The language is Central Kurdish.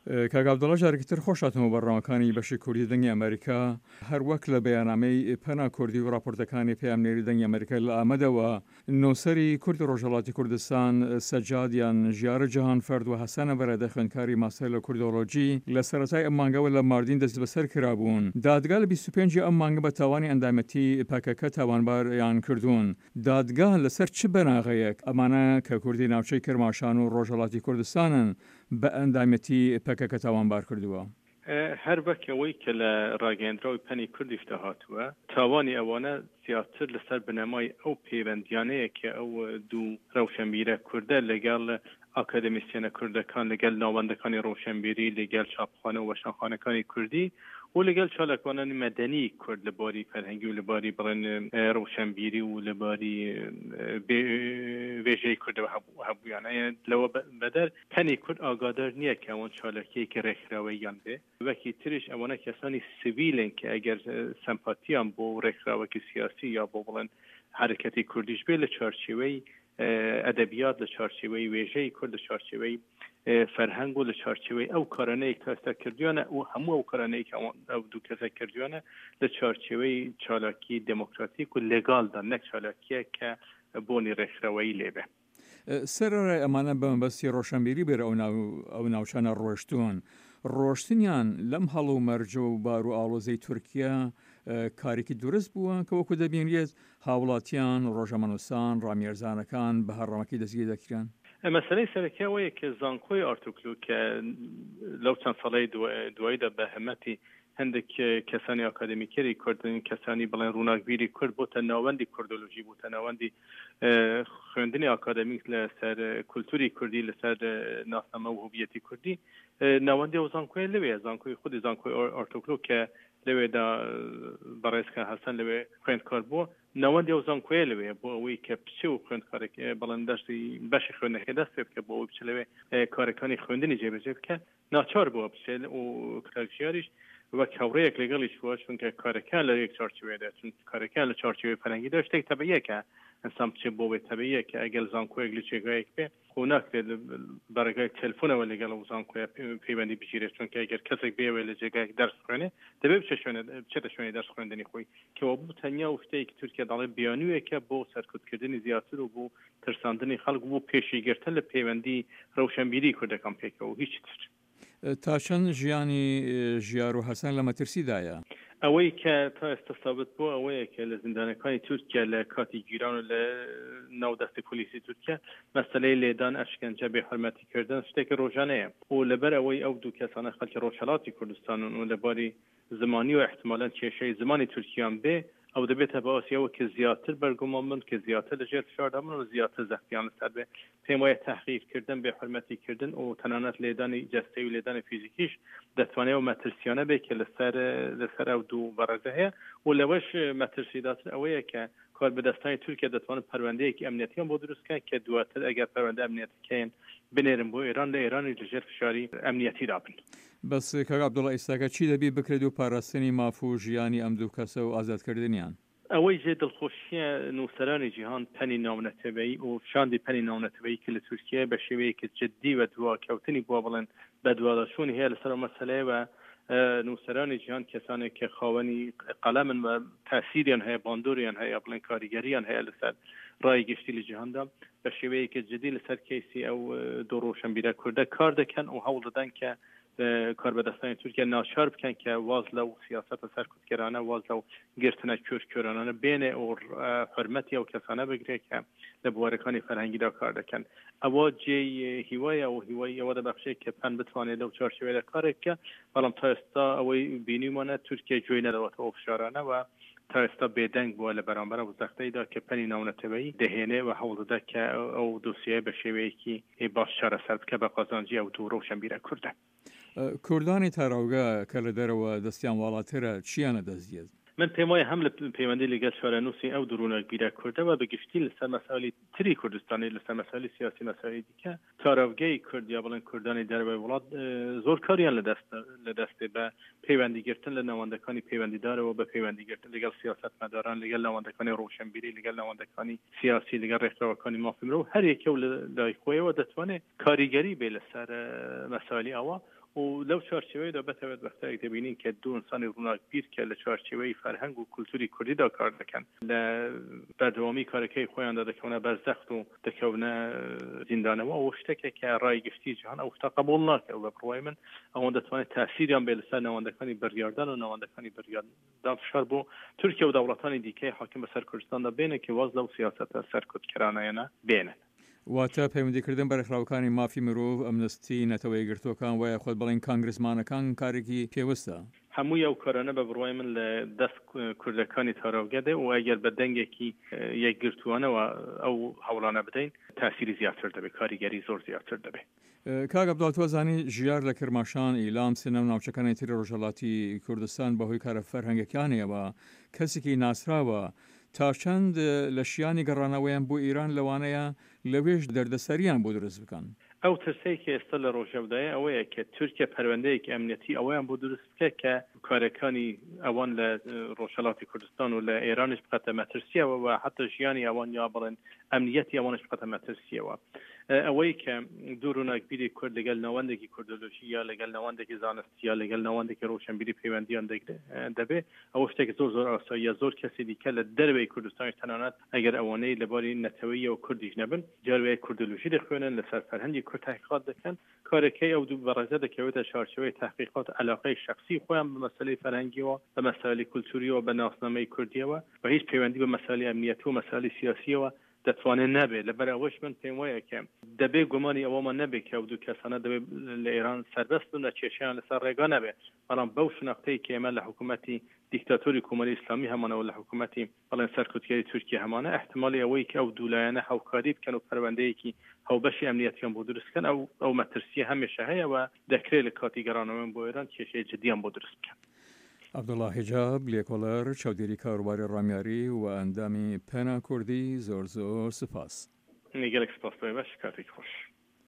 کاک عەبدوڵا جارێکی تر خۆش هاتنەوە بەرنامەکانی بەشی کوردی دەنگی ئەمەریکا. هەر وەک لە بەیانامەی پەنا کوردی و ڕاپۆرتەکانی پەیامنێری دەنگی ئەمەریکا لە ئامەدەوە، نووسەری کوردی ڕۆژهەڵاتی کوردستان سەجاد یان ژیارە جەهانفەرد و حەسەن بەرادە خوێندکاری ماستەر لە کوردۆلۆجی لە سەرەتای ئەم مانگەوە لە ماردین دەستبەسەر کرابوون. دادگا لە 25 ی ئەم مانگە بە تاوانی ئەندامەتی پەکەکە تاوانباریان کردوون. دادگا لەسەر چ بناغەیەک ئەمانە کە کوردی ناوچەی کرماشان و ڕۆژهەڵاتی کوردستانن بە ئەندامەتی پەکەکە تاوانبار کردووە؟ هەر وەک ئەوەی کە لە ڕاگەیەندراوی پەنی کوردیشدا هاتووە، تاوانی ئەوانە زیاتر لەسەر بنەمای ئەو پەیوەندیانەیە کە ئەو دوو ڕەوشەنبیرە کوردە لەگەڵ ئاکادمیسیەنە کوردەکان، لەگەل ناوەندەکانی ڕۆشەنبیری، لەگەل چاپخانە و وەشانخانەکانی کوردی و لەگەل چالاکوانانی مەدەنی کورد لە باری فەرهەنگی و لە باری بڵێن ڕۆشەنبیری و لە باری وێژەی کوردەوە هەبوویانە. لەوە بەدەر پەنی کورد ئاگادار نییە کە ئەوان چالاکییەکی ڕێکخراوەییان بێ. وەکی تریش ئەوانە کەسانی سڤیلن کە ئەگەر سەمپاتیان بۆ ڕێکخراوەکی سیاسی یا بۆ بڵێن حەرەکەتی کوردیش بێ لە چوارچێوەی ئەدەبیات، لە چوارچێوەی وێژەی کورد، لە چوارچێوەی فەرهەنگ و لە چوارچێوەی ئەو کارانەی کە ئێستا کردویانە و هەموو ئەو کارانەی کە ئەو دوو کەسە کردویانە لە چوارچێوەی چالاکی دێمۆکراتیک و لێگالدا، نەک چالاکییەک کە بۆنی ڕێکخراوەیی لێ بێ. سەرەڕای ئەمانە بە مەبەستی ڕۆشەنبیری بەرە ئەو ناوچانە ڕۆشتوون. ڕۆشتنیان لەم هەڵومەرج و بار و ئاڵۆزەی تورکیا کارێکی دروست بووە کە وەکو دەبینرێت هاوڵاتیان، ڕۆژەمەنووسان، ڕامیارزانەکان بە هەڕەمەکی دەستگیر دەکرێن. مەسەلەی سەرەکی ئەوەیە کە زانکۆی ئارتوکلو کە لەو چەند ساڵەی دواییدا بە هەمەتی هەندێک کەسانی ئاکادمیکەری کورد، کەسانی بڵێن ڕووناکبیری کورد بۆتە ناوەندی کوردۆلۆژی، بۆتە ناوەندی خوێندنی ئاکادمیک لەسەر کولتوری کوردی، لەسەر ناسنامە و هویەتی کوردی. ناوەندی ئەو زانکۆیە لەوێ، زانکۆی خودی زانکۆی ئارتۆکلۆ کە لەوێدا بەڕێز کە حەسەن لەوێ خوێندکار بووە، ناوەندی ئەو زانکۆیە لەوێ بۆ ئەوەی کە بچێ و خوێندکارێک بڵێن دەرسی بەشی خوێندنەکەی دەست پێ بکە، بۆ ئەوەی بچێ لەوێ کارەکانی خوێندنی جێبەجێ بکە، ناچار بووە بچێت و کاک ژیاریش وەک هاوڕێیەک لەگەڵی چووە، چونکە کارەکەیان لە یەک چوارچێوەیەدا، چون کارەکەیان لە چوارچێوەی فەرهەنگیدا شتێک تەبعییە کە ئینسان بچێت بۆ وێ، تەبعییە کە ئەگەر زانکۆیەک لە جێگایەک بێ خۆ ناکرێت بە ڕێگای تەلفۆنەوە لەگەڵ ئەو زانکۆیە پەیوەندی بگیرێت، چونکە ئەگەر کەسێک بێوێ لە جێگایەک دەرس بخوێنێ دەبێ بچێت شوێنە بچێتە شوێنی دەرس خوێندنی خۆی، کەوابوو تەنیا و شتێک تورکیا دەڵێ بیانوویەکە بۆ سەرکوتکردنی زیاتر و بۆ ترساندنی خەڵک و بۆ پێشیگرتن لە پەیوەندی رەوشەنبیری کوردەکان پێکەوە و هیچی تر. تا چەند ژیانی ژیار و حەسەن لە مەترسیدایە؟ ئەوەی کە تا ئێستا سابت بووە ئەوەیە کە لە زیندانەکانی تورکیا لە کاتی گیران و لە ناو دەستی پۆلیسی تورکیا مەسەلەی لێدان، ئەشکەنجە، بێ حورمەتی کردن شتێکی رۆژانەیە و لەبەر ئەوەی ئەو دوو کەسانە خەڵکی رۆژهەڵاتی کوردستانن و لە باری زمانی و ئیحتمالەن کێشەی زمانی تورکیان بێ، ئەو دەبێتە باسی ئەوە کە زیاتر بەرگومان بن، کە زیاتر لە ژێر فشاردا بن و زیاتر زەختیان لەسەر بێ. پێم وایە تەحقیر کردن، بێ حورمەتی کردن و تەنانەت لێدانی جەستەیی و لێدانی فیزیکیش دەتوانێ ئەو مەترسیانە بێ کە لەسەر لەسەر ئەو دوو بەڕێزە هەیە و لەوەش مەترسیداتر ئەوەیە کە کاربەدەستانی تورکیا دەتوانن پەروەندەیەکی ئەمنیەتیان بۆ دروست کەن کە دواتر ئەگەر پەروەندە ئەمنیەتەکەیان بنێرن بۆ ئێران، لە ئێرانیش لە ژێر فشاری ئەمنیەتیدا بن. بەس کاک عەبدوڵا ئیستاکە چی دەبی بکرێت بۆ پاراستنی ماف و ژیانی ئەم دوو کەسە و ئازادکردنیان؟ ئەوەی جێ دڵخۆشیە نووسەرانی جیهان پەنی ناونەتەوەیی و شاندی پەنی ناونەتەوەیی کە لە تورکیایە بە شێوەیەکی جدی و دواکەوتنی بووە بڵێن بەدواداچوونی هەیە لەسەر ئەو مەسەلەیە و نووسەرانی جیهان کەسانێک کە خاوەنی قەلەمن و تاسیریان هەیە باندۆریان هەیە بڵێن کاریگەریان هەیە لەسەر ڕای گشتی لە جیهاندا بە شێوەیەکی جدی لەسەر کەیسی ئەو دوو ڕۆشنبیرە کوردە کار دەکەن و هەوڵ دەدەن کە کاربەدەستانی تورکیا ناچار بکەن کە واز لەو سیاسەتە سەرکوتکەرانە، واز لەو گرتنە کۆرکۆرانانە بێنێ و حورمەتی ئەو کەسانە بگرێ کە لە بوارەکانی فەرهەنگیدا کار دەکەن. ئەوە جێی هیوایە و هیوای ئەوە دەبەخشێ کە پەن بتوانێت لەو چوارچێوەیەدا کارێک بکە، بەڵام تا ئێستا ئەوەی بینیومانە تورکیا گوێی نەداوەتە ئەو فشارانە و تا ئێستا بێدەنگ بووە لە بەرامبەر ئەو زەختەیدا کە پەنی ناونەتەوەیی دەهێنێ و هەوڵ دەدا کە ئەو دۆسیەیە بە شێوەیەکی باش چارەسەر بکە بە قازانجی ئەو دوو ڕەوشەنبیرە کوردە. کوردانی تاراوگە کە لە دەرەوە دەستیان واڵاترە چییان لە دەست دێت؟ من پێم وایە هەم لە پەیوەندی لەگەل چارەنووسی ئەو دوو ڕووناکبیرە کوردە و بە گشتی لەسەر مەسائلی تری کوردستانی، لەسەر مەسائلی سیاسی مەسائلی دیکە، تاراوگەی کورد یا بڵێن کوردانی دەرەوەی وڵات زۆر کاریان لە دەست لە دەستێ بە پەیوەندی گرتن لە ناوەندەکانی پەیوەندیدارەوە بە پەیوەندی گرتن لەگەڵ سیاسەتمەداران لەگەل ناوەندەکانی ڕۆشنبیری لەگەل ناوەندەکانی سیاسی لەگەل ڕێکخراوەکانی مافی مرۆڤ هەر یەکە و لە لای خۆیەوە دەتوانێت کاریگەری بێ لەسەر مەسائلی ئاوا. و لەو چوارچێوەیەدا بەتایبەت وەختایەک دەبینین کە دوو ئینسانی ڕووناکبیر کە لە چوارچێوەی فەرهەنگ و کولتوری کوردیدا کار دەکەن لە بەردەوامی کارەکەی خۆیاندا دەکەونە بەر زەخت و دەکەونە زیندانەوە، ئەوە شتێکە کە ڕای گشتی جیهان ئەو شتە قبوڵ ناکە و بە بڕوای من ئەوان دەتوانێت تاسیریان بێ لەسەر ناوەندەکانی بڕیاردان و ناوەندەکانی بڕیاردان فشار بۆ تورکیا و دەوڵەتانی دیکەی حاکم بەسەر کوردستاندا بێنن کە واز لەو سیاسەتە سەرکوتکەرانەیانە بێنن. واتە پەیوەندیکردن بە رێکخراوەکانی مافی مرۆڤ، ئەمنستی، نەتەوە یەکگرتووەکان وە یاخود بڵێین کانگرسمانەکان کارێکی پێوستە. هەمووی ئەو کارانە بە بڕوای من لە دەست کوردەکانی تاراوگە دێ و ئەگەر بە دەنگێکی یەکگرتووانەوە ئەو هەوڵانە بدەین تاسیری زیاتر دەبێ، کاریگەری زۆر زیاتر دەبێ. کاک عەبدوڵا تۆ ئەزانی ژیار لە کرماشان، ئیلام، سنە و ناوچەکانی تری ڕۆژهەڵاتی کوردستان بە هۆی کارە فەرهەنگەکانیەوە کەسێکی ناسراوە، تا چەند لە شیانی گەڕانەوەیان بۆ ئیران لەوانەیە لەوێش دەردەسەریان بۆ دروست بکەن؟ ئەو ترسەی کە ئێستا لە ڕۆژەڤدایە ئەوەیە کە تورکیا پەروەندەیەکی ئەمنیەتی ئەوەیان بۆ دروست بکە کە کارەکانی ئەوان لە ڕۆژهەڵاتی کوردستان و لە ئێرانیش بخاتە مەترسیەوە و حتا ژیانی ئەوان یا بڵێن ئەمنیەتی ئەوانش بخاتە مەترسیەوە. ئەوەی کە دوو ڕووناکبیری کورد لەگەل ناوەندێکی کوردۆلۆژی یا لەگەل ناوەندێکی زانستی یا لەگەل ناوەندێکی ڕۆشنبیری پەیوەندیان دەبێ ئەوە شتێک زۆر زۆر ئاساییە. زۆر کەسی دیکە لە دەرەوەی کوردستانیش تەنانەت ئەگەر ئەوانەی لە باری نەتەوەییەوە کوردیش نەبن جار وایە کوردۆلۆژی دەخوێنن، لەسەر فەرهەنگی کورد تەحقیقات دەکەن. کارەکەی ئەو دوو بەڕێزە دەکەوێتە چوارچێوەی تەحقیقات عەلاقەی شەخسی خۆیان بە مەسەلەی فەرهەنگیەوە، بە مەسایلی کولتوریەوە، بە ناسنامەی کوردیەوە و هیچ پەیوەندی بە مەسایلی ئەمنیەتی و مەسایلی سیاسیەوە دەتوانێت نەبێت. لەبەر ئەوەش من پێم وایە کە دەبێ گومانی ئەوەمان نەبێت کە ئەو دوو کەسانە دەبێت لە ئێران سەربەست بن و کێشەیان لەسەر ڕێگا نەبێت. بەڵام بەو شناختەی کە ئێمە لە حکوومەتی دیکتاتۆری کۆماری ئیسلامی هەمانە و لە حکوومەتی بەڵێن سەرکوتگەری تورکیە هەمانە، ئیحتمالی ئەوەی کە ئەو دوو لایەنە هاوکاری بکەن و پەروەندەیەکی هاوبەشی ئەمنیەتیان بۆ دروست بکەن، ئەو ئەو مەترسییە هەمێشە هەیە و دەکرێت لە کاتی گەڕانەوەیان بۆ ئێران کێشەی جدیان بۆ دروست بکەن. عەبدوڵا حیجاب، لێکۆڵەر، چاودێری کاروباری ڕامیاری و ئەندامی پەنا کوردی، زۆر زۆر سوپاس. گەلێک سپاس بۆ ئێوەش، کاتێکی خۆش.